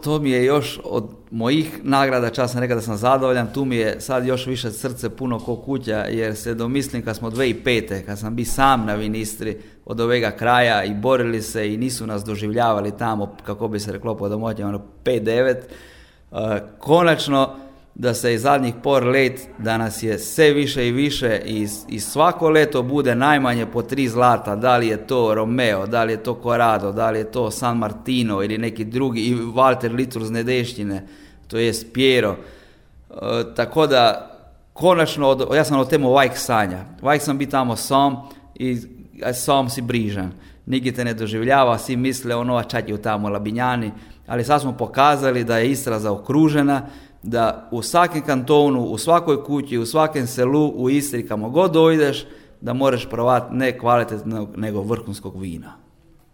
to mi je još od mojih nagrada, čas sam rekao da sam zadovoljan, tu mi je sad još više srce puno ko kuća, jer se domislim kad smo 2005. kad sam bio sam na Vinistri od ovega kraja i borili se i nisu nas doživljavali tamo, kako bi se reklo po domoćima, 5-9, konačno da se i zadnjih por let, da nas je sve više i više i svako leto bude najmanje po 3 zlata, da li je to Romeo, da li je to Corrado, da li je to San Martino ili neki drugi, i Walter Litur z Nedeštine, to je Piero. Tako da, konačno, ja sam o temu vajk sanja. Vajk sam bi tamo sam i sam si brižan. Nigdje te ne doživljava, svi misle ono, a čak je u tamo Labinjani, ali sad smo pokazali da je Istra zaokružena, da u svakom kantonu, u svakoj kući, u svakom selu, u Istri, kamo god dojdeš, da moraš provati ne kvalitetnog, nego vrhunskog vina.